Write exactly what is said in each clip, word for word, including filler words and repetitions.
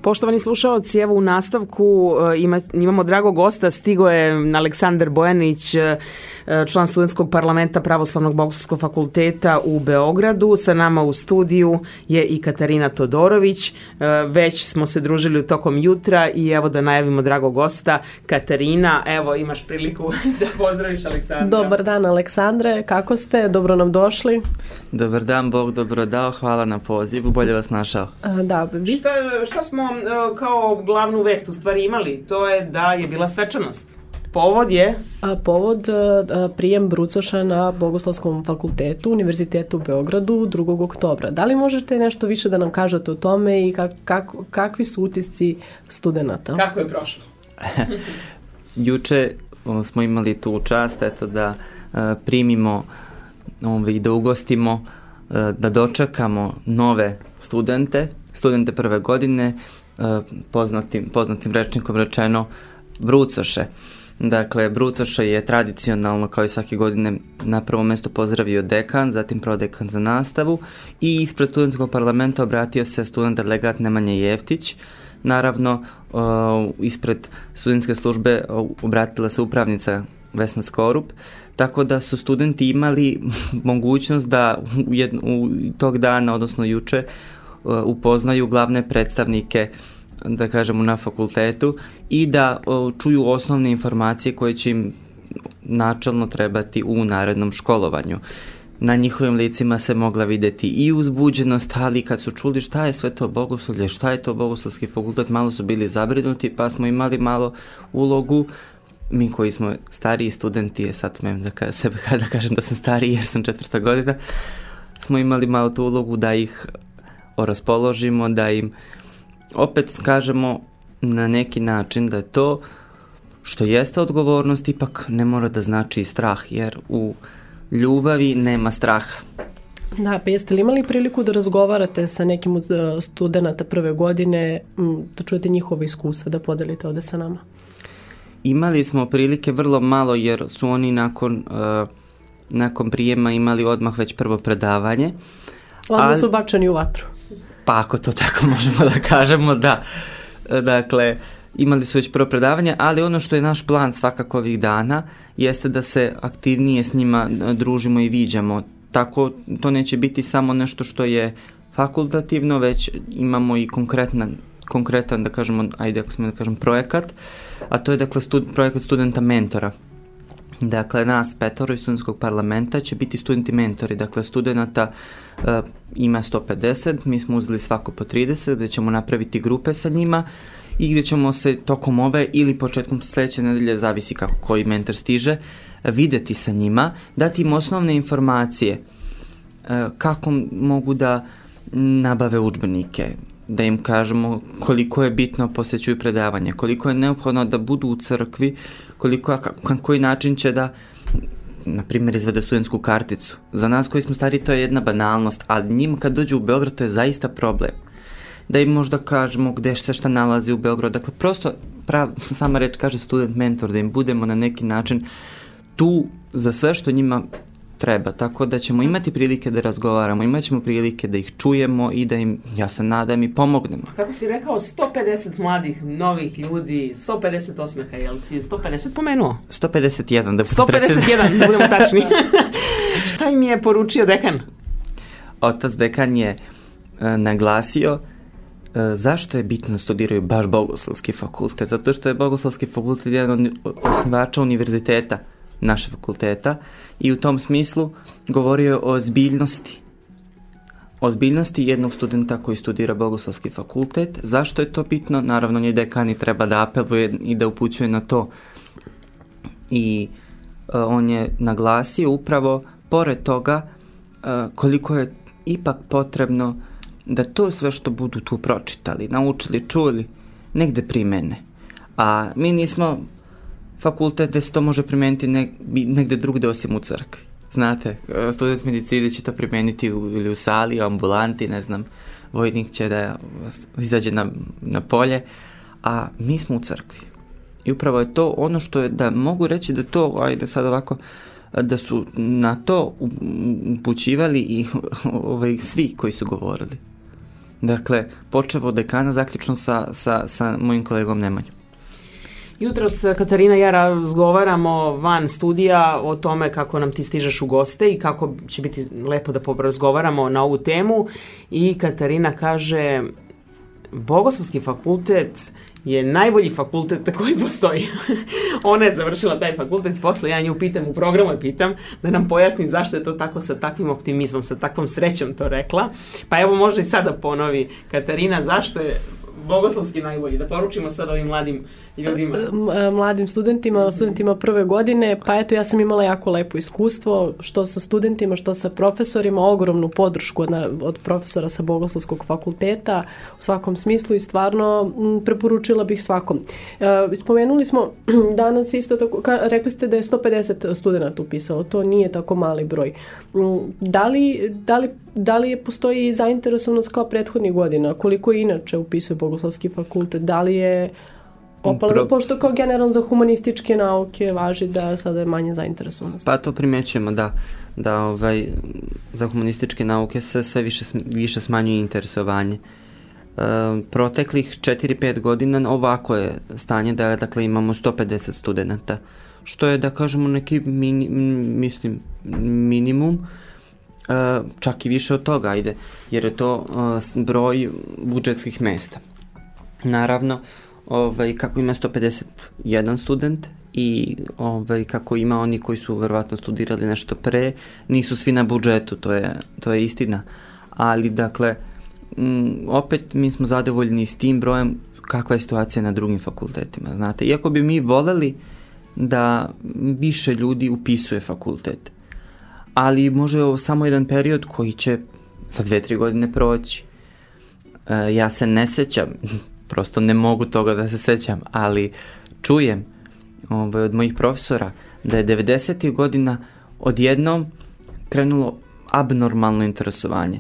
Poštovani slušaoci, evo u nastavku ima, imamo dragog gosta, stigo je Aleksandar Bojanić, član studentskog parlamenta Pravoslavnog bogoslovskog fakulteta u Beogradu. Sa nama u studiju je i Katarina Todorović. Već smo se družili u tokom jutra i evo da najavimo dragog gosta. Katarina, evo imaš priliku da pozdraviš Aleksandra. Dobar dan Aleksandre, kako ste? Dobro nam došli. Dobar dan, Bog dobro dao, hvala na pozivu, bolje vas našao. Da, vi... šta, šta smo kao glavnu vest u stvari imali? To je da je bila svečanost. Povod je? A, povod a, prijem brucoša na Bogoslovskom fakultetu Univerzitetu u Beogradu drugog oktobra. Da li možete nešto više da nam kažete o tome i kak, kak, kakvi su utisci studenata? Kako je prošlo? Juče smo imali tu čast eto, da a, primimo i da ugostimo, a, da dočekamo nove studente, studente prve godine, a, poznatim, poznatim rečnikom rečeno brucoše. Dakle, brucoše je tradicionalno, kao i svake godine, na prvom mjestu pozdravio dekan, zatim prodekan za nastavu i ispred studentskog parlamenta obratio se student delegat Nemanja Jeftić. Naravno, uh, ispred studentske službe obratila se upravnica Vesna Skorup, tako da su studenti imali mogućnost da u, jedno, u tog dana, odnosno juče, uh, upoznaju glavne predstavnike, da kažemo, na fakultetu i da o, čuju osnovne informacije koje će im načelno trebati u narednom školovanju. Na njihovim licima se mogla vidjeti i uzbuđenost, ali kad su čuli šta je sve to bogoslovlje, šta je to bogoslovski fakultet, malo su bili zabrinuti, pa smo imali malo ulogu, mi koji smo stariji studenti, sad smijem da, ka, sebe, da kažem da sam stariji jer sam četvrta godina, smo imali malo tu ulogu da ih raspoložimo, da im opet kažemo na neki način da je to što jeste odgovornost ipak ne mora da znači i strah, jer u ljubavi nema straha. Da, pa jeste li imali priliku da razgovarate sa nekim od studenta prve godine, da čujete njihova iskustva, da podelite ovde sa nama? Imali smo prilike vrlo malo jer su oni nakon, uh, nakon prijema imali odmah već prvo predavanje. Odmah ali... su bačeni u vatru. Pa ako to tako možemo da kažemo, da. Dakle, imali su već prvo predavanje, ali ono što je naš plan svakako ovih dana jeste da se aktivnije s njima družimo i viđamo. Tako to neće biti samo nešto što je fakultativno, već imamo i konkretna, konkretan, da kažemo, ajde ako smo da kažem, projekat, a to je dakle stud, projekat studenta mentora. Dakle, nas petoro iz studentskog parlamenta će biti studenti mentori, dakle studenta uh, ima sto pedeset, mi smo uzeli svako po trideset, gdje ćemo napraviti grupe sa njima i gdje ćemo se tokom ove ili početkom sljedeće nedelje, zavisi kako koji mentor stiže, videti sa njima, dati im osnovne informacije uh, kako mogu da nabave udžbenike, da im kažemo koliko je bitno posjećuju predavanje, koliko je neophodno da budu u crkvi, koliko, na koji način će da, na primjer, izvede studentsku karticu. Za nas koji smo stari to je jedna banalnost, ali njima kad dođu u Beograd to je zaista problem. Da im možda kažemo gde se šta nalazi u Beogradu. Dakle, prosto, prav, sama reč kaže student mentor, da im budemo na neki način tu za sve što njima treba, tako da ćemo imati prilike da razgovaramo, imat ćemo prilike da ih čujemo i da im, ja se nadam, i pomognemo. Kako si rekao, sto pedeset mladih, novih ljudi, sto pedeset osmeha, jel si sto pedeset pomenuo? sto pedeset jedan, da budemo sto pedeset jedan, da budemo tačni. Šta im je poručio dekan? Otac dekan je e, naglasio e, zašto je bitno studiraju baš Bogoslovski fakultet, zato što je Bogoslovski fakultet jedan od osnivača univerziteta, naše fakulteta, i u tom smislu govorio je o ozbiljnosti. Ozbiljnosti jednog studenta koji studira Bogoslovski fakultet. Zašto je to bitno? Naravno, nje dekani treba da apeluje i da upućuje na to. I uh, on je naglasio upravo, pored toga, uh, koliko je ipak potrebno da to sve što budu tu pročitali, naučili, čuli, negde primene. A mi nismo fakultet gde se to može primeniti neg, negde drugde osim u crkvi. Znate, student medicine će to primeniti u, ili u sali, u ambulanti, ne znam, vojnik će da izađe na, na polje, a mi smo u crkvi. I upravo je to ono što je, da mogu reći da to, ajde sad ovako, da su na to upućivali i ovaj, svi koji su govorili. Dakle, počevo od dekana, zaključno sa, sa, sa mojim kolegom Nemanjom. Jutros Katarina i ja razgovaramo van studija o tome kako nam ti stižeš u goste i kako će biti lepo da razgovaramo na ovu temu. I Katarina kaže, Bogoslovski fakultet je najbolji fakultet koji postoji. Ona je završila taj fakultet, posle ja nju pitam, u programu je pitam, da nam pojasni zašto je to tako sa takvim optimizmom, sa takvom srećom to rekla. Pa evo možda i sada ponovi, Katarina, zašto je Bogoslovski najbolji, da poručimo sad ovim mladim ljudima. Mladim studentima, studentima prve godine, pa eto ja sam imala jako lepo iskustvo, što sa studentima, što sa profesorima, ogromnu podršku od, od profesora sa Bogoslovskog fakulteta u svakom smislu i stvarno m, preporučila bih svakom. E, spomenuli smo danas isto tako, ka, rekli ste da je sto pedeset studenta upisalo, to nije tako mali broj. Da li, da li, da li postoji zainteresovanost kao prethodnih godina? Koliko inače upisuje Bogoslovski fakultet? Da li je opala, Pro... pošto kao generalno za humanističke nauke važi da sada je manje zainteresovanost? Pa to primećujemo, da, da ovaj, za humanističke nauke se sve više, više smanjuje interesovanje. E, proteklih četiri pet godina ovako je stanje da dakle, imamo sto pedeset studenta, što je da kažemo neki mini, mislim, minimum, e, čak i više od toga, ajde, jer je to e, broj budžetskih mesta. Naravno, ovaj, kako ima sto pedeset jedan student i ovaj, kako ima oni koji su verovatno studirali nešto pre, nisu svi na budžetu, to je, to je istina. Ali, dakle, m, opet mi smo zadovoljni s tim brojem kakva je situacija na drugim fakultetima, znate. Iako bi mi voleli da više ljudi upisuje fakultet, ali može ovo samo jedan period koji će za dve, tri godine proći. E, ja se ne sećam, prosto ne mogu toga da se sećam, ali čujem ovaj, od mojih profesora da je devedesetih godina odjednom krenulo abnormalno interesovanje.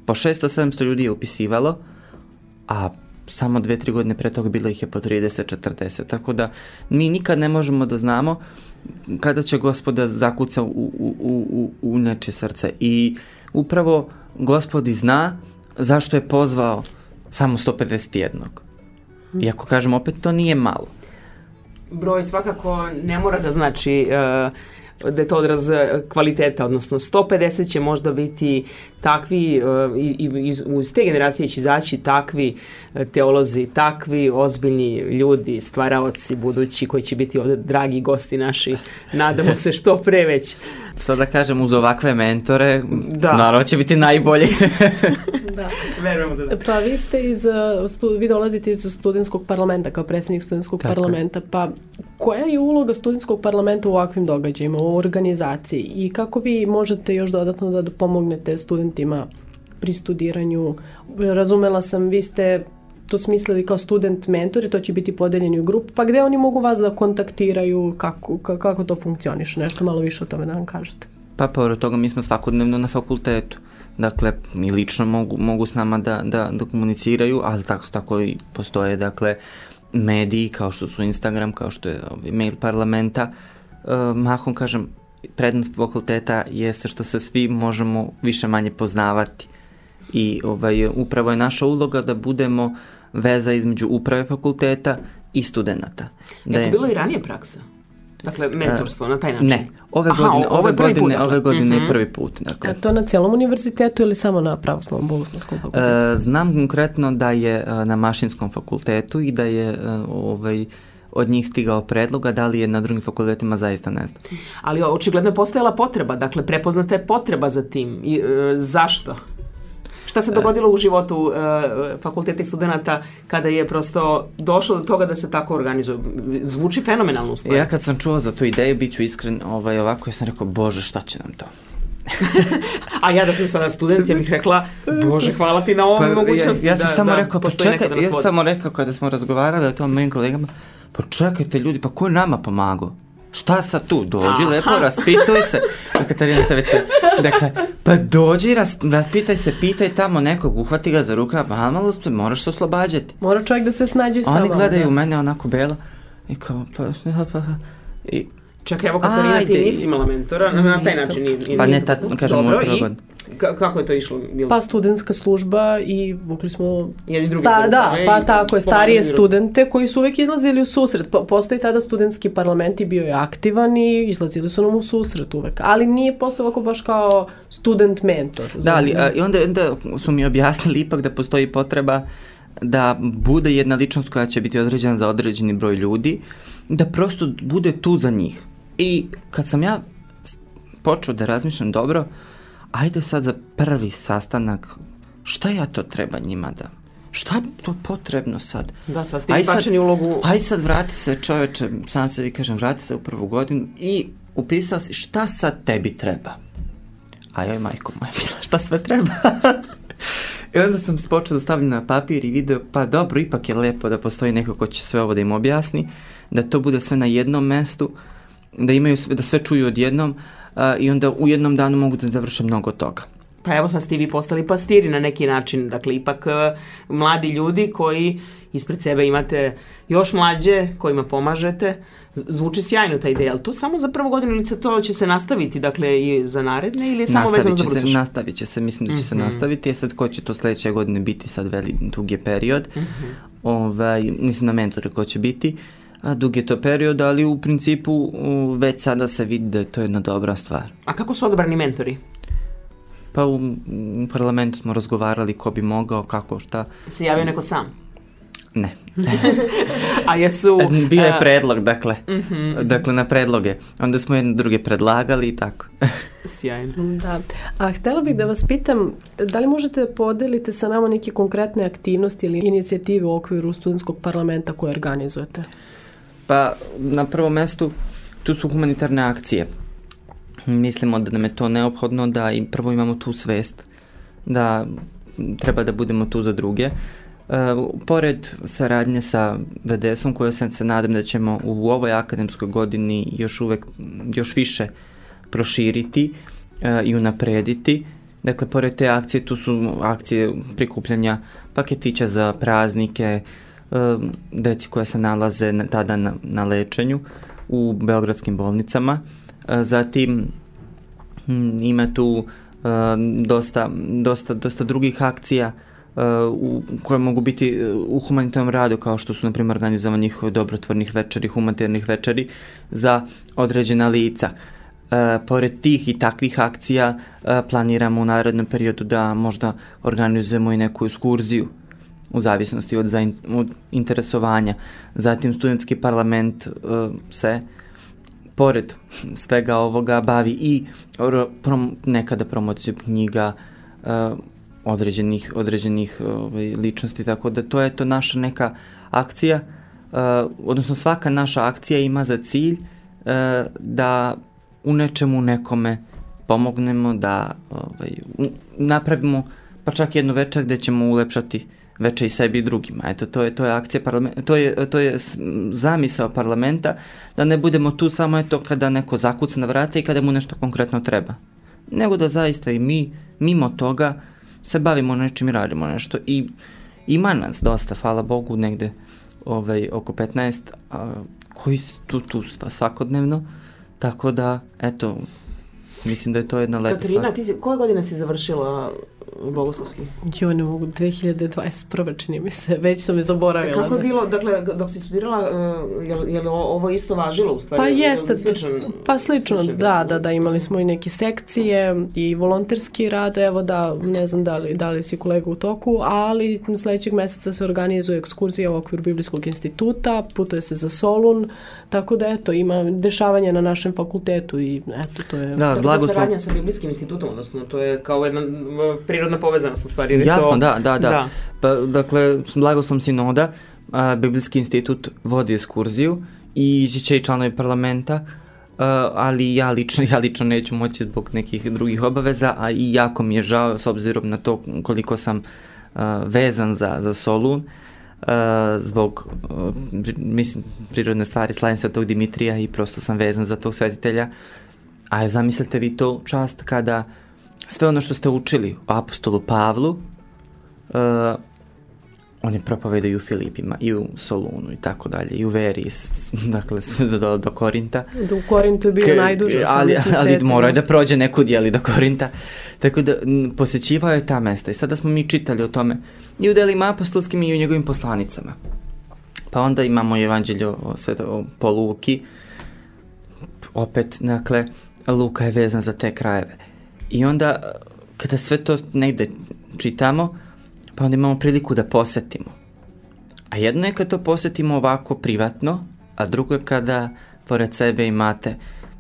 Po šesto sedamsto ljudi je upisivalo, a samo dve, tri godine pre toga bilo ih je po trideset četrdeset. Tako da mi nikad ne možemo da znamo kada će Gospoda zakuca u, u, u, u neče srce. I upravo Gospodi zna zašto je pozvao samo sto pedeset jedan. Iako kažem, opet to nije malo. Broj svakako ne mora da znači uh, da je to odraz kvaliteta, odnosno sto pedeset će možda biti takvi, uh, i, i iz te generacije će izaći takvi teolozi, takvi ozbiljni ljudi, stvaraoci budući koji će biti ovde dragi gosti naši. Nadamo se što pre već. Sad da kažem, uz ovakve mentore, da. Naravno će biti najbolji. Da. Verujemo da da. Pa vi ste iz, vi dolazite iz studentskog parlamenta kao predsjednik studentskog Tako. parlamenta, pa koja je uloga studentskog parlamenta u ovakvim događajima, u organizaciji i kako vi možete još dodatno da pomognete studentima pri studiranju? Razumela sam, vi ste to smislili kao student mentori, to će biti podeljeni u grupu, pa gde oni mogu vas da kontaktiraju, kako, kako to funkcioniše, nešto malo više o tome da nam kažete. Pa pored toga mi smo svakodnevno na fakultetu, dakle mi lično mogu, mogu s nama da, da, da komuniciraju, ali tako, tako i postoje dakle mediji kao što su Instagram, kao što je mail parlamenta. E, mahom kažem, prednost fakulteta jeste što se svi možemo više manje poznavati i ovaj, upravo je naša uloga da budemo veza između uprave fakulteta i studenata. Da je to bilo i ranije praksa? Dakle, mentorstvo, uh, na taj način? Ne, ove Aha, godine, o, ove godine, put, dakle. ove godine mm-hmm. je prvi put. Dakle. A to na cijelom univerzitetu ili samo na Pravoslavnom Bogoslovskom fakultetu? Uh, znam konkretno da je uh, na Mašinskom fakultetu i da je uh, ovaj, od njih stigao predloga, da li je na drugim fakultetima zaista ne znam. Ali očigledno je postojala potreba, dakle, prepoznata je potreba za tim. I, uh, zašto? Šta se dogodilo u životu uh, fakulteta i studenta kada je prosto došlo do toga da se tako organizuje? Zvuči fenomenalno u stvari. Ja kad sam čuo za tu ideju, bit ću iskren, ovaj, ovako ja sam rekao, Bože, šta će nam to? A ja da sam sada student, ja bih rekla, Bože, hvala ti na ovom pa, mogućnosti. Ja, ja sam da, samo da, rekao, pa čekaj, ja sam samo rekao kada smo razgovarali o tom mojim kolegama, pa čekajte ljudi, pa ko je nama pomagao? Šta sad tu? Dođi, Aha. lepo, raspituj se. Katarina se već sve. Dakle, pa dođi, ras, raspitaj se, pitaj tamo nekog, uhvati ga za ruka, pa malo moraš se oslobađati. Mora čovjek da se snađe sama. Oni gledaju u mene onako bela i kao, pa, pa, i... Čekaj, evo Katarina, ti nisi imala mentora, na taj način. I, i pa ne, ta, kažem, Dobro, prva godina. K- kako je to išlo? Bilo? Pa studentska služba i vukli smo... Jedni drugi sta, za da, rukave pa i tako je, starije pomagali. studente koji su uvijek izlazili u susret. Po, postoji tada studentski parlament i bio je aktivan i izlazili su nam u susret uvek. Ali nije postao ovako baš kao student mentor. Da, ali a, i onda, onda su mi objasnili ipak da postoji potreba da bude jedna ličnost koja će biti određena za određeni broj ljudi, da prosto bude tu za njih. I kad sam ja počeo da razmišljam dobro, ajde sad za prvi sastanak, šta ja to treba njima da... Šta je to potrebno sad? Da, sad ste izbačeni ulogu... Ajde sad vrati se, čoveče, sam sebi kažem, vrati se u prvu godinu i upisao si šta sad tebi treba. A joj, majko moja, bila, šta sve treba? I onda sam počeo da stavljam na papir i video, pa dobro, ipak je lepo da postoji neko ko će sve ovo da im objasni, da to bude sve na jednom mestu, da imaju sve, da sve čuju odjednom uh, i onda u jednom danu mogu da završe mnogo toga. Pa evo sad ste vi postali pastiri na neki način, dakle ipak uh, mladi ljudi koji ispred sebe imate još mlađe, kojima pomažete. Zvuči sjajno ta ideja, ali to samo za prvu godinu ili to će se nastaviti, dakle i za naredne ili je samo vezano za Brucoš? Nastavit će se, mislim da će mm-hmm. se nastaviti, a sad ko će to sledeće godine biti, sad veli dug je period, mm-hmm. ovaj, mislim na mentore ko će biti, a dug je to period, ali u principu već sada se vidi da je to jedna dobra stvar. A kako su odabrani mentori? Pa u, u parlamentu smo razgovarali ko bi mogao, kako, šta. Se javio neko sam? Ne. A jesu... Bio je predlog, dakle. Mm-hmm. Dakle, na predloge. Onda smo jedne druge predlagali i tako. Sjajno. Da. A htjela bih da vas pitam, da li možete podeliti sa nama neke konkretne aktivnosti ili inicijative u okviru studentskog parlamenta koje organizujete? Pa, na prvom mestu, tu su humanitarne akcije. Mislimo da nam je to neophodno, da i prvo imamo tu svest, da treba da budemo tu za druge. Uh, pored saradnje sa V D S-om, koje sam se nadam da ćemo u ovoj akademskoj godini još uvek, još više proširiti uh, i unaprediti. Dakle, pored te akcije, tu su akcije prikupljanja paketića za praznike, uh, deci koja se nalaze na, tada na, na lečenju u beogradskim bolnicama. Uh, zatim hm, ima tu uh, dosta, dosta, dosta drugih akcija Uh, u, koje mogu biti u humanitarnom radu, kao što su, na primjer, organizovanje dobrotvornih večeri, humanitarnih večeri za određena lica. Uh, pored tih i takvih akcija uh, planiramo u narednom periodu da možda organizujemo i neku ekskurziju u zavisnosti od, zain, od interesovanja. Zatim, studentski parlament uh, se pored svega ovoga bavi i prom, nekada promocijom knjiga, uh, određenih, određenih ovaj, ličnosti, tako da to je to naša neka akcija, uh, odnosno svaka naša akcija ima za cilj uh, da u nečemu nekome pomognemo, da ovaj, u, napravimo pa čak jednu večer gde ćemo ulepšati večer i sebi i drugima. Eto, to je, to je akcija parlamenta, to je, to je zamisao parlamenta, da ne budemo tu samo eto kada neko zakuca na vrata i kada mu nešto konkretno treba, nego da zaista i mi, mimo toga, se bavimo nečim i radimo nešto. I ima nas dosta, hvala Bogu, negde ovaj, oko petnaest a, koji su tu, tu svakodnevno, tako da, eto, mislim da je to jedna lepa Katarina, stvar. Katarina, koje godine si završila Bogoslovski? Jo, ne mogu, dve hiljade dvadeset prve čini mi se, već sam je zaboravila. Kako je bilo, dakle, dok si studirala, uh, je, li, je li ovo isto važilo u stvari? Pa jeste, sličan, pa slično, sličan, da, da, da, imali smo i neke sekcije i volonterski rad, evo da, ne znam da li, da li si kolega u toku, ali sledećeg meseca se organizuje ekskurzija u okviru Biblijskog instituta, putuje se za Solun, tako da eto, ima dešavanja na našem fakultetu i eto, to je... Da, Tako da saradnja sa Biblijskim institutom, odnosno, to je kao jedna prirodna povezanost u stvari. Jasno, to... da, da, da. da. Pa, dakle, Blagoslov sinoda, a, Biblijski institut vodi ekskurziju i će i članovi parlamenta, a, ali ja lično, ja lično neću moći zbog nekih drugih obaveza, a i jako mi je žao s obzirom na to koliko sam a, vezan za, za Solun, a, zbog, a, mislim, prirodne stvari, slavim Svetog Dimitrija i prosto sam vezan za tog svetitelja. A zamislite vi to čast kada sve ono što ste učili o apostolu Pavlu uh, oni propovedaju u Filipima i u Solunu i tako dalje, i u Veri, dakle sve do, do Korinta. Do u Korintu je bio K, najduže, ali, ali morao je da prođe nekud, jeli, do Korinta. Tako da posjećivao je ta mesta i sada smo mi čitali o tome i u delima apostolskim i u njegovim poslanicama. Pa onda imamo evanđelje o, o, po Luki, opet, dakle, Luka je vezan za te krajeve. I onda, kada sve to negde čitamo, pa onda imamo priliku da posetimo. A jedno je kada to posetimo ovako privatno, a drugo je kada pored sebe imate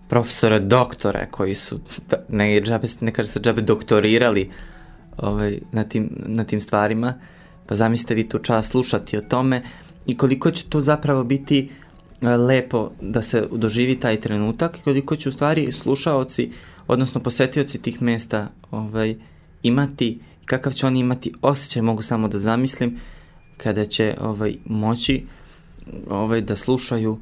profesora, doktore koji su, ne, džabe, ne kaže se džabe, doktorirali ovaj, na, tim, na tim stvarima, pa zamislite vi tu čast slušati o tome i koliko će to zapravo biti lepo da se doživi taj trenutak i koliko će u stvari slušaoci, odnosno posetioci tih mesta ovaj, imati, kakav će oni imati osjećaj, mogu samo da zamislim, kada će ovaj, moći ovaj, da slušaju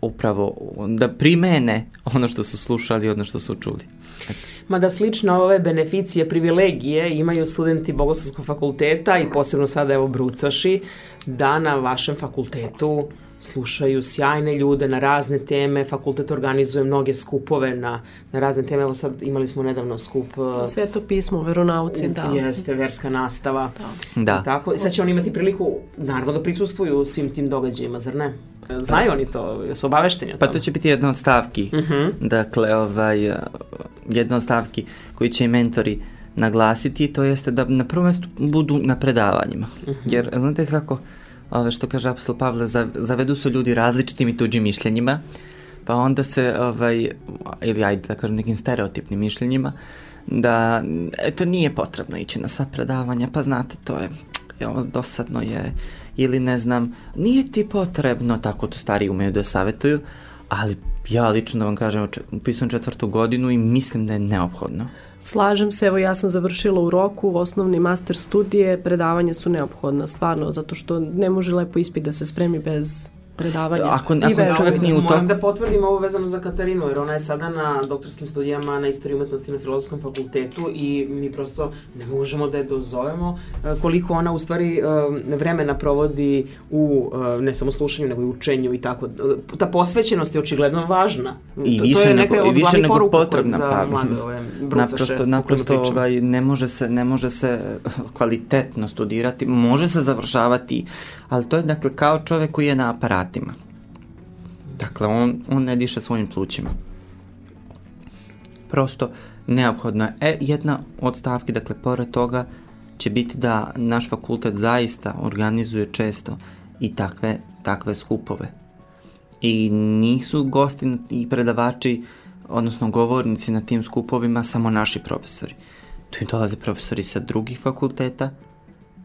upravo, da primene ono što su slušali, ono što su čuli. Eto. Mada slično ove beneficije, privilegije imaju studenti Bogoslovskog fakulteta i posebno sada evo brucoši, da na vašem fakultetu slušaju sjajne ljude na razne teme, fakultet organizuje mnoge skupove na, na razne teme, evo sad imali smo nedavno skup... Sveto pismo, veronauci, da. Jeste, verska nastava. Da. da. Tako, sad će oni imati priliku, naravno, da prisustvuju svim tim događajima, zar ne? Znaju oni to, su obavešteni o tome? Pa to će biti jedna od stavki, uh-huh. dakle, ovaj, jedna od stavki koji će i mentori naglasiti, to jeste da na prvom mjestu budu na predavanjima. Uh-huh. Jer, znate kako, ove, što kaže apostol Pavle, zavedu su ljudi različitim i tuđim mišljenjima, pa onda se, ovaj, ili ajde da kažem nekim stereotipnim mišljenjima, da eto nije potrebno ići na sva predavanja, pa znate, to je, je dosadno je, ili ne znam, nije ti potrebno, tako to stari umeju da savjetuju, ali ja lično da vam kažem, upisujem četvrtu godinu i mislim da je neophodno. Slažem se, evo ja sam završila u roku osnovni master studije, predavanja su neophodna, stvarno, zato što ne može lepo ispit da se spremi bez predavanja. Ako, ako čovjek nije u toku... Moram da potvrdim ovo vezano za Katarinu, jer ona je sada na doktorskim studijama na istoriji umetnosti na Filozofskom fakultetu i mi prosto ne možemo da je dozovemo koliko ona u stvari vremena provodi u ne samo slušanju, nego i učenju i tako. Ta posvećenost je očigledno važna. I to, više to je nego, neka od više glavnih nego potrebna. Za pa, mlade ove naprosto, naprosto ovaj, ne, može se, ne može se kvalitetno studirati, može se završavati, ali to je dakle kao čovjek koji je na aparatu. Dakle, on, on ne diše svojim plućima. Prosto neophodno je. E, jedna od stavki, dakle, pored toga će biti da naš fakultet zaista organizuje često i takve, takve skupove. I nisu gosti i predavači, odnosno govornici na tim skupovima samo naši profesori. Tu im dolaze profesori sa drugih fakulteta.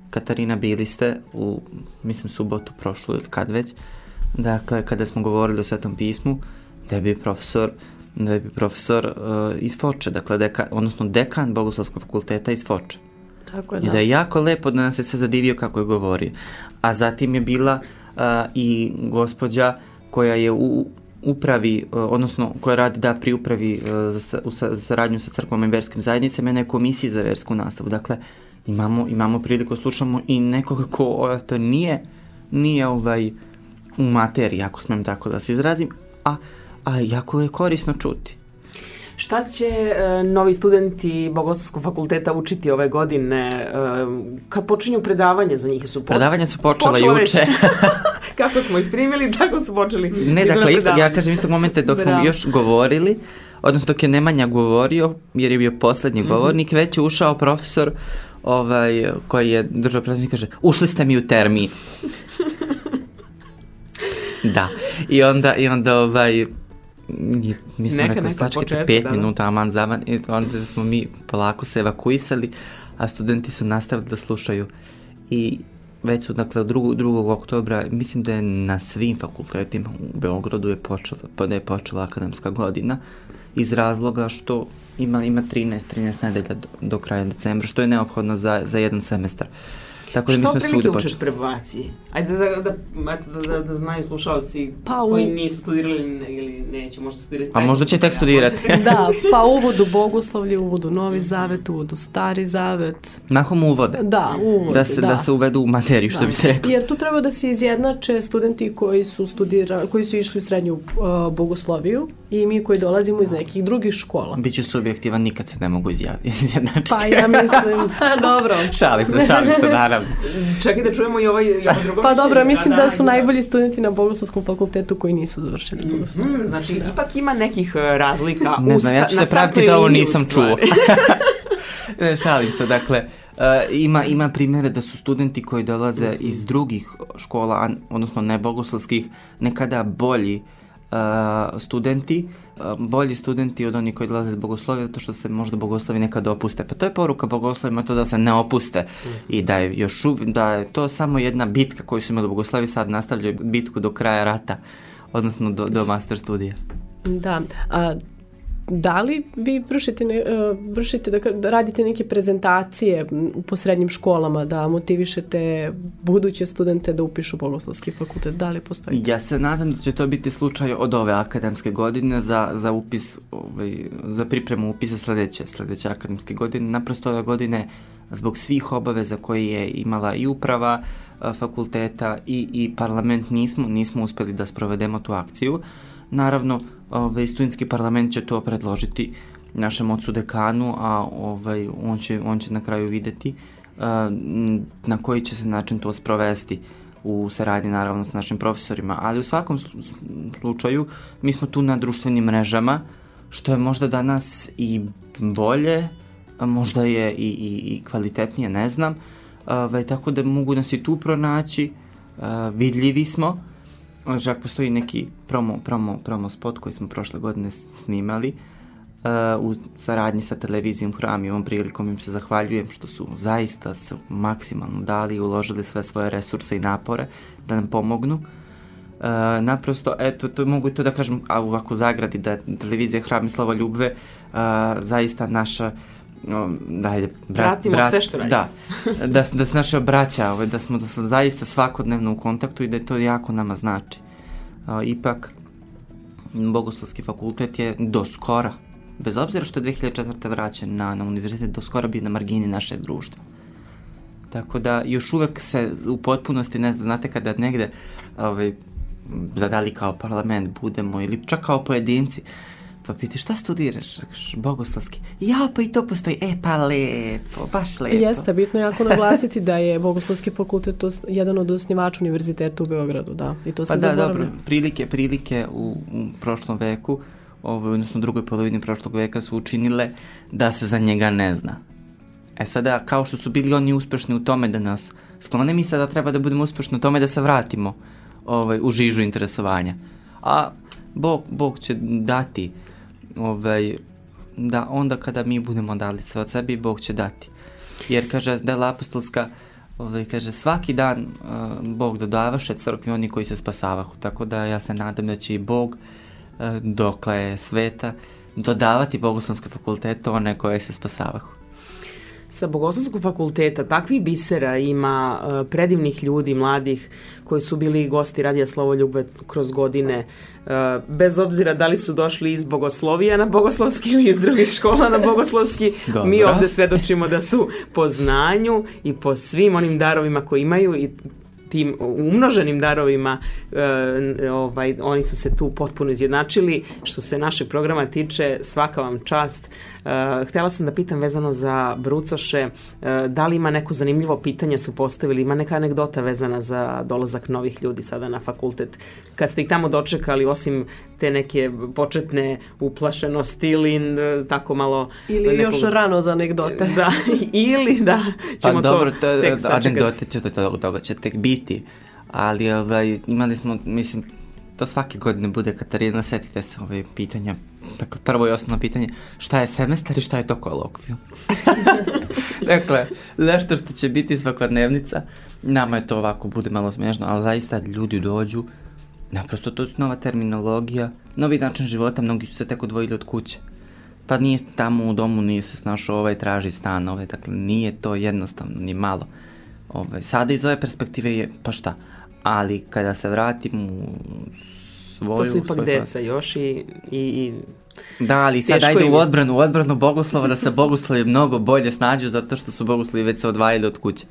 Katarina, bili ste u, mislim, subotu prošlu ili kad već, dakle, kada smo govorili o Svetom pismu, da je bio profesor, da je bio profesor uh, iz Foče, dakle, dekan, odnosno dekan Bogoslovskog fakulteta iz Foče. Tako je, da. I da je jako lepo da nas se sve zadivio kako je govorio. A zatim je bila uh, i gospođa koja je u upravi, uh, odnosno koja radi da pri upravi uh, za, u sa, saradnju sa crkvom i verskim zajednicama, jedna je komisija za versku nastavu. Dakle, imamo, imamo priliku, slušamo i nekoga ko to nije, nije ovaj u materiji, ako smem tako da se izrazim, a, a jako je korisno čuti. Šta će e, novi studenti Bogoslovskog fakulteta učiti ove godine? E, kad počinju predavanje za njih? Su po... Predavanja su počela, počela juče. Kako smo ih primili, tako su počeli. Ne, dakle, isto, ja kažem istog momenta dok Bravo. smo još govorili, odnosno dok je Nemanja govorio, jer je bio poslednji mm-hmm. govornik, već je ušao profesor ovaj, koji je držao predavanje i kaže, ušli ste mi u termin. Da, i onda, i onda ovaj, mi smo neka, rekli, sačekajte pet da, minuta, aman zaman, i onda smo mi polako se evakuisali, a studenti su nastavili da slušaju. I već su, dakle, drugog, drugog oktobra, mislim da je na svim fakultetima u Beogradu je počela, da je počela akademska godina, iz razloga što ima, ima trinaest nedelja do, do kraja decembra, što je neophodno za, za jedan semestar. Tako da mi što smo prilike svuda učiš počeli. prebaciji? Ajde da, da, eto, da, da, da znaju slušalci Pa u- koji nisu studirali ili neće možda studirati. A možda će tek studirati. Da, pa uvod u bogoslovlje, uvod u Novi Zavet, uvod u Stari Zavet. Mahom uvode. Da, uvod, Da se, da. da se uvedu u materiju, što Da. bi se reklo. Jer tu treba da se izjednače studenti koji su studira, koji su išli u srednju uh, bogosloviju i mi koji dolazimo iz nekih drugih škola. Biću subjektivan, nikad se ne mogu izja- izjednačiti. Pa ja mislim, ha, dobro. Šalim se, šalim se, naravno. Čekaj da čujemo i ovaj, i ovo drugo Pa dobro, mišljenje. mislim da su da. najbolji studenti na Bogoslovskom fakultetu koji nisu završili bogosloviju. Hmm, znači, ipak ima nekih uh, razlika. Ne u znam, ja ću sta- se na praviti startnoj da ovo liniji, u nisam stvari. čuo. Ne, šalim se, dakle, uh, ima, ima primjere da su studenti koji dolaze iz drugih škola, a- odnosno nebogoslovskih, nekada bolji uh, studenti, uh, bolji studenti od onih koji dolaze iz bogoslovija, zato što se možda bogoslovi nekad opuste. Pa to je poruka bogoslovima, to da se ne opuste i da je još uv- da je to samo jedna bitka koju su imali bogoslovi, sad nastavljaju bitku do kraja rata, odnosno do, do master studija. Da, a da li vi vršite, ne, uh, vršite da, ka- da radite neke prezentacije m, po srednjim školama, da motivišete buduće studente da upišu Bogoslovski fakultet? Da li postoji? Ja se nadam da će to biti slučaj od ove akademske godine za, za upis, ovaj, za pripremu upisa sledeće, sledeće akademske godine. Naprosto ove godine, zbog svih obaveza koje je imala i uprava a, fakulteta i, i parlament, nismo, nismo uspeli da sprovedemo tu akciju. Naravno, ovaj, studentski parlament će to predložiti našem ocu dekanu, a ovaj, on, će, on će na kraju videti a, m, na koji će se način to sprovesti u saradnji naravno s našim profesorima, ali u svakom slu- slučaju mi smo tu na društvenim mrežama, što je možda danas i bolje, a možda je i, i, i kvalitetnije, ne znam, ovaj, tako da mogu nas i tu pronaći, a, vidljivi smo. Čak postoji neki promo, promo, promo spot koji smo prošle godine snimali uh, u saradnji sa televizijom Hram i ovom prilikom im se zahvaljujem što su zaista se maksimalno dali i uložili sve svoje resurse i napore da nam pomognu. Uh, naprosto, eto, to mogu to da kažem, a ovako u zagradi, da je televizija Hram i Slovo Ljubve uh, zaista naša Um, da, ajde, brat, Pratimo brat, sve što radimo. Da, da, da se naše braća, ovaj, da smo da smo zaista svakodnevno u kontaktu i da to jako nama znači. Uh, ipak, Bogoslovski fakultet je do skora, bez obzira što je dve hiljade četvrte vraćen na, na univerzitet, do skora bio na margini našeg društva. Tako da još uvek se u potpunosti, ne znam, znate kada negde ovaj, da li kao parlament budemo ili čak kao pojedinci, pa piti šta studiraš? Rekaš, bogoslovski. Ja, pa i to postoji. E, pa lepo, baš lepo. Jeste, bitno je jako naglasiti da je Bogoslovski fakultet os- jedan od osnivača univerziteta u Beogradu, da. I to se Pa da, zaboravlja. dobro, prilike, prilike u, u prošlom veku, ovaj, odnosno u drugoj polovini prošlog veka su učinile da se za njega ne zna. E sada, kao što su bili oni uspešni u tome da nas sklone, mi sada treba da budemo uspešni u tome da se vratimo ovaj, u žižu interesovanja. A Bog, Bog će dati ovaj, da onda kada mi budemo dali sve od sebi, Bog će dati. Jer, kaže, dela apostolska, ovaj, kaže, svaki dan uh, Bog dodavaše crkvi oni koji se spasavahu. Tako da ja se nadam da će i Bog, uh, dokle je sveta, dodavati Bogoslovske fakultete one koje se spasavahu. Sa Bogoslovskog fakulteta takvih bisera ima uh, predivnih ljudi, mladih, koji su bili gosti Radija Slovo Ljubve kroz godine, uh, bez obzira da li su došli iz Bogoslovija na Bogoslovski ili iz drugih škola na Bogoslovski. Dobro. Mi ovde svedočimo da su po znanju i po svim onim darovima koji imaju i tim umnoženim darovima e, ovaj, oni su se tu potpuno izjednačili. Što se našeg programa tiče, svaka vam čast. E, htela sam da pitam vezano za brucoše, e, da li ima neko zanimljivo pitanje su postavili, ima neka anegdota vezana za dolazak novih ljudi sada na fakultet. Kad ste ih tamo dočekali, osim te neke početne uplašenosti ili e, tako malo... Ili nekog, još rano za anegdote. Da, ili da ćemo pa dobro, to to, tek sačekati. anegdote će to toga, toga će tek biti, ali ovaj, imali smo, mislim, to svake godine bude, Katarina, setite se ove pitanja. Dakle, prvo i osnovno pitanje, šta je semestar i šta je to kolokvijum? Dakle, nešto što će biti svakodnevnica, nama je to ovako, bude malo smiješno, ali zaista ljudi dođu, naprosto to su nova terminologija, novi način života, mnogi su se tek odvojili od kuće. Pa nije tamo u domu, nije se snašao ovaj, traži stan, ovaj, dakle, nije to jednostavno, ni malo. Ovaj, sada iz ove perspektive je, pa šta, ali kada se vratim u svoju... To su ipak deca još i... i, i... Da, ali sad ajde u odbranu, u odbranu bogoslova da se bogoslovi mnogo bolje snađu zato što su bogoslovi već se odvajali od kuće.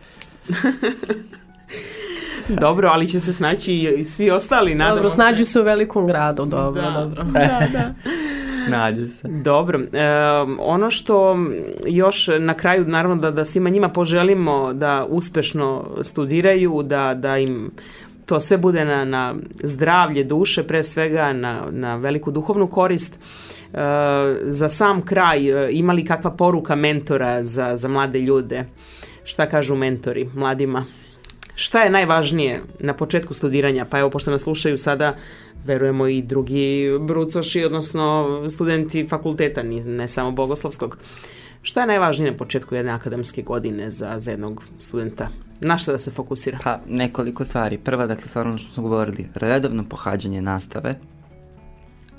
Dobro, ali će se snaći i svi ostali, nadamo se. Dobro, snađu se u velikom gradu, dobro, da. dobro. Da, da. Snađu se. Dobro, e, ono što još na kraju, naravno da, da svima njima poželimo da uspešno studiraju, da, da im to sve bude na, na zdravlje duše, pre svega na, na veliku duhovnu korist. E, za sam kraj, ima li kakva poruka mentora za, za mlade ljude? Šta kažu mentori mladima? Šta je najvažnije na početku studiranja? Pa evo, pošto nas slušaju sada, verujemo i drugi brucoši, odnosno studenti fakulteta, ne samo bogoslovskog. Šta je najvažnije na početku jedne akademske godine za, za jednog studenta? Na šta da se fokusira? Pa, nekoliko stvari. Prva, dakle, stvarno ono što smo govorili, redovno pohađanje nastave,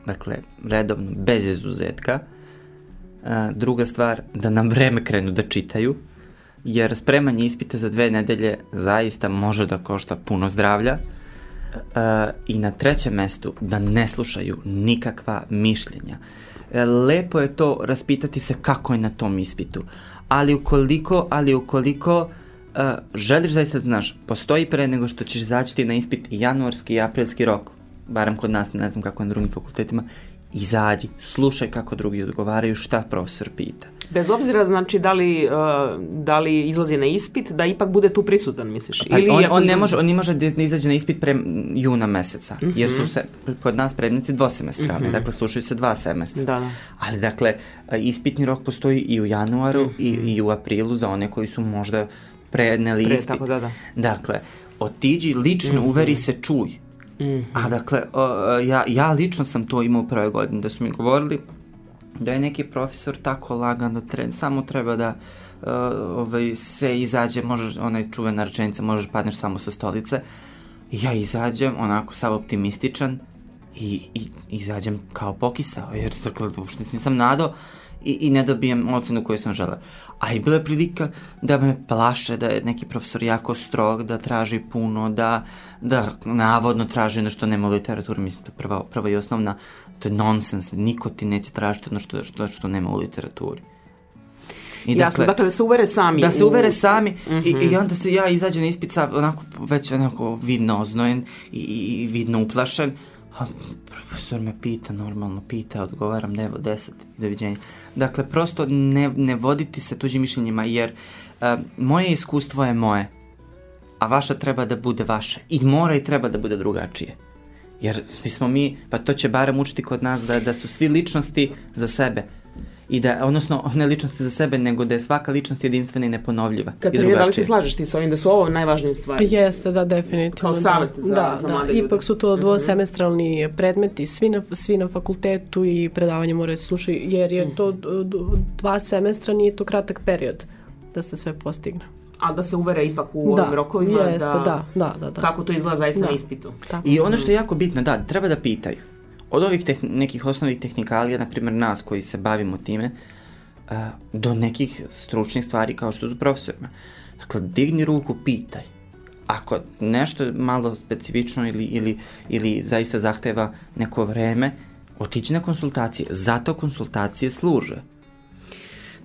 dakle, redovno, bez izuzetka. A, druga stvar, da nam vreme krenu da čitaju, jer spremanje ispita za dve nedelje zaista može da košta puno zdravlja. Uh, i na trećem mestu da ne slušaju nikakva mišljenja. E, lepo je to raspitati se kako je na tom ispitu, ali ukoliko, ali ukoliko uh, želiš zaista da znaš, postoji pre nego što ćeš izaći na ispit i januarski i aprilski rok, barem kod nas, ne znam kako je na drugim fakultetima, izađi, slušaj kako drugi odgovaraju, šta profesor pita. Bez obzira, znači, da li, uh, da li izlazi na ispit, da ipak bude tu prisutan, misliš? Pa, Ili on, on, izlazi... ne može, on ne može da izađe na ispit pre juna meseca, mm-hmm. jer su se kod nas predmeti dvosemestralni, mm-hmm. dakle slušaju se dva semestra. Da, da. Ali, dakle, ispitni rok postoji i u januaru mm-hmm. i, i u aprilu za one koji su možda predneli Pre, ispit. Tako, da, da. Dakle, otiđi, lično mm-hmm. uveri se, čuj. Mm-hmm. A dakle, o, ja, ja lično sam to imao u prvoj godini, da su mi govorili da je neki profesor tako lagan da tre, samo treba da uh, ovaj, se izađe, možeš, onaj čuvena rečenica, možeš padneš samo sa stolice. Ja izađem onako sav optimističan i, i izađem kao pokisao, jer dakle, uopšte nisam nadao i, i ne dobijem ocenu koju sam želeo. A i bila je prilika da me plaše, da je neki profesor jako strog, da traži puno, da, da navodno traži nešto nema u literaturi, mislim to je prva, prva i osnovna, to je nonsens, niko ti neće tražiti ono što, što, što nema u literaturi. I Jasno, dakle, dakle da se uvere sami. Da se uvere sami mm-hmm. i, i onda se ja izađem na ispit sa onako već onako vidno oznojen i, i vidno uplašen. A profesor me pita, normalno pita, odgovaram nevo deset i doviđenja. Dakle, prosto ne, ne voditi se tuđim mišljenjima, jer uh, moje iskustvo je moje, a vaša treba da bude vaše. I mora i treba da bude drugačije. Jer svi smo mi, pa to će barem učiti kod nas da, da su svi ličnosti za sebe. I da, odnosno, ne ličnosti za sebe, nego da je svaka ličnost jedinstvena i neponovljiva. Katarina, da li se slažeš ti sa ovim da su ovo najvažnije stvari? Jeste, da, definitivno. Kao savjet za, da, za da, mlade ljude. Ipak Ipak su to dvosemestralni predmeti, svi na, svi na fakultetu i predavanje moraju slušati, jer je to dva semestra, nije to kratak period da se sve postigne. A da se uvere ipak u da, ovim rokovima, jeste, da, da, da, da, da. kako to izgleda zaista da. na ispitu. Tako. I ono što je jako bitno, da, treba da pitaju. Od ovih tehn- nekih osnovnih tehnikalija, na primjer nas koji se bavimo time, uh, do nekih stručnih stvari kao što su profesorima. Dakle, digni ruku, pitaj. Ako nešto je malo specifično ili, ili, ili zaista zahteva neko vreme, otići na konsultacije. Zato konsultacije služe.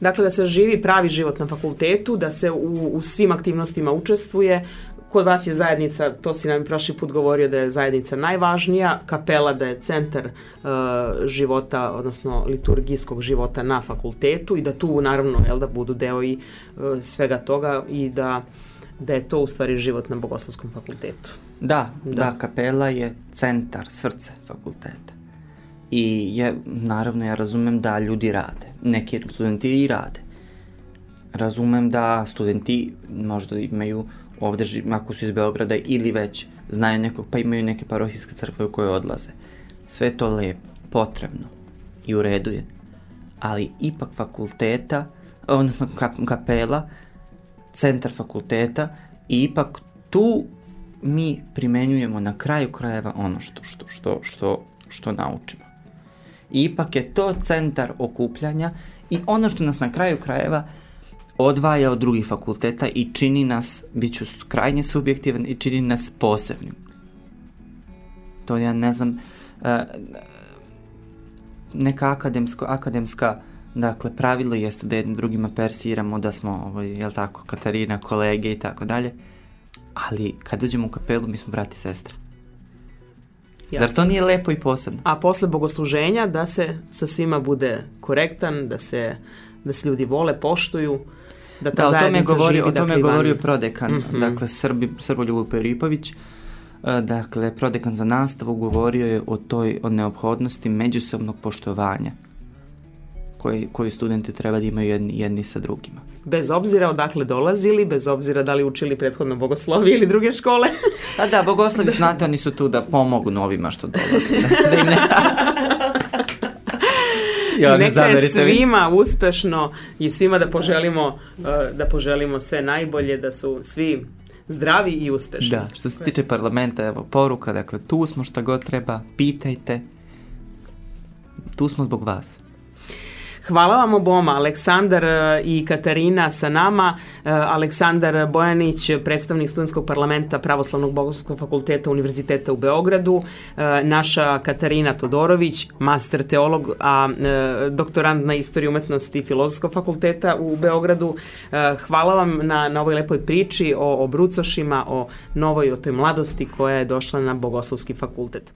Dakle, da se živi pravi život na fakultetu, da se u, u svim aktivnostima učestvuje. Kod vas je zajednica, to si nam prošli put govorio da je zajednica najvažnija, kapela da je centar uh, života, odnosno liturgijskog života na fakultetu i da tu naravno jel, da budu deo i uh, svega toga i da, da je to u stvari život na Bogoslovskom fakultetu. Da, da, da, kapela je centar, srce fakulteta. I je, naravno ja razumem da ljudi rade, neki studenti i rade. Razumem da studenti možda imaju ovde, ako su iz Beograda ili već znaju nekog, pa imaju neke parohijske crkve u koje odlaze. Sve je to lepo, potrebno i u redu je. Ali ipak fakulteta, odnosno kapela, centar fakulteta i ipak tu mi primenjujemo na kraju krajeva ono što, što, što, što, što naučimo. I ipak je to centar okupljanja i ono što nas na kraju krajeva odvaja od drugih fakulteta i čini nas, bit ću krajnje subjektivan, i čini nas posebnim. To ja ne znam, neka akademsko, akademska dakle, pravilo jeste da jednim drugima persiramo, da smo, ovaj, jel tako, Katarina, kolege i tako dalje, ali kad dođemo u kapelu, mi smo brat i sestra. Jasne. Zar to nije lepo i posebno? A posle bogosluženja da se sa svima bude korektan, da se, da se ljudi vole, poštuju, da ta da, zajednica govori, živi. O tome je dakle, govorio prodekan, mm-hmm. dakle Srbi, Srboljub Peripović, dakle prodekan za nastavu govorio je o toj o neophodnosti međusobnog poštovanja koji, koji studenti treba da imaju jedni, jedni sa drugima. Bez obzira odakle dolazili, bez obzira da li učili prethodno bogoslovije ili druge škole. Pa da, bogoslovi, znate, oni su tu da pomogu novima što dolaze. Da im ne... Ja, neka je svima uspešno i svima da poželimo, da poželimo sve najbolje, da su svi zdravi i uspešni. Da, što se tiče parlamenta, evo, poruka, dakle, tu smo šta god treba, pitajte, tu smo zbog vas. Hvala vam oboma, Aleksandar i Katarina sa nama. Aleksandar Bojanić, predstavnik Studentskog parlamenta Pravoslavnog bogoslovskog fakulteta Univerziteta u Beogradu, naša Katarina Todorović, master teolog, a doktorant na istoriji umetnosti Filozofskog fakulteta u Beogradu. Hvala vam na, na ovoj lepoj priči o, o brucošima, o novoj, o toj mladosti koja je došla na Bogoslovski fakultet.